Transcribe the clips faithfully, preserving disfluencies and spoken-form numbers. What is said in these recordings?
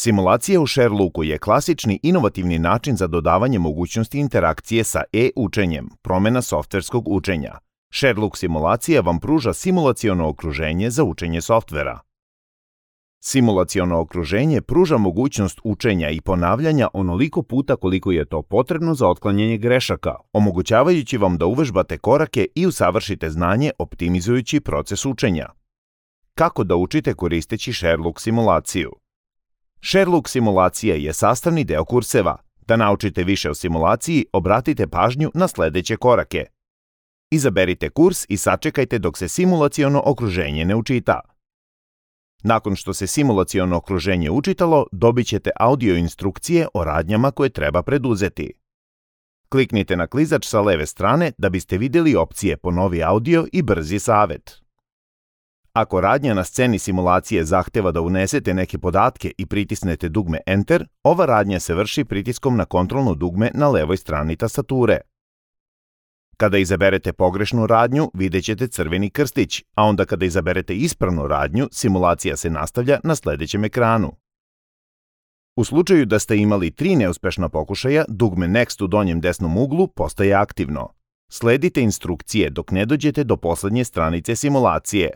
Simulacija u Sherlooku je klasični inovativni način za dodavanje mogućnosti interakcije sa e-učenjem, promjena softverskog učenja. Sherlook simulacija vam pruža simulaciono okruženje za učenje softvera. Simulaciono okruženje pruža mogućnost učenja i ponavljanja onoliko puta koliko je to potrebno za otklanjanje grešaka, omogućavajući vam da uvežbate korake i usavršite znanje optimizujući proces učenja. Kako da učite koristeći Sherlook simulaciju? Sherlook simulacija je sastavni deo kurseva. Da naučite više o simulaciji, obratite pažnju na sljedeće korake. Izaberite kurs i sačekajte dok se simulaciono okruženje ne učita. Nakon što se simulaciono okruženje učitalo, dobit ćete audio instrukcije o radnjama koje treba preduzeti. Kliknite na klizač sa leve strane da biste vidjeli opcije Ponovi audio i Brzi savjet. Ako radnja na sceni simulacije zahteva da unesete neke podatke i pritisnete dugme Enter, ova radnja se vrši pritiskom na kontrolno dugme na levoj strani tastature. Kada izaberete pogrešnu radnju, vidjet ćete crveni krstić, a onda kada izaberete ispravnu radnju, simulacija se nastavlja na sljedećem ekranu. U slučaju da ste imali tri neuspešna pokušaja, dugme Next u donjem desnom uglu postaje aktivno. Sledite instrukcije dok ne dođete do posljednje stranice simulacije.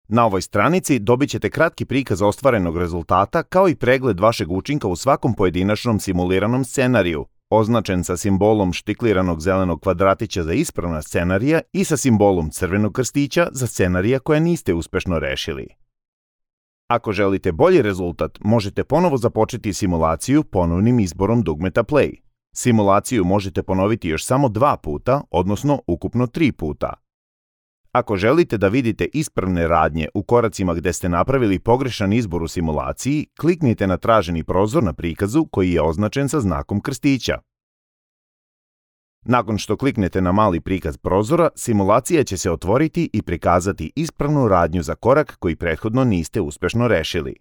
Na ovoj stranici dobit ćete kratki prikaz ostvarenog rezultata kao i pregled vašeg učinka u svakom pojedinačnom simuliranom scenariju, označen sa simbolom štikliranog zelenog kvadratića za ispravna scenarija i sa simbolom crvenog krstića za scenarija koja niste uspešno rešili. Ako želite bolji rezultat, možete ponovo započeti simulaciju ponovnim izborom dugmeta Play. Simulaciju možete ponoviti još samo dva puta, odnosno ukupno tri puta. Ako želite da vidite ispravne radnje u koracima gdje ste napravili pogrešan izbor u simulaciji, kliknite na traženi prozor na prikazu koji je označen sa znakom krstića. Nakon što kliknete na mali prikaz prozora, simulacija će se otvoriti i prikazati ispravnu radnju za korak koji prethodno niste uspešno rešili.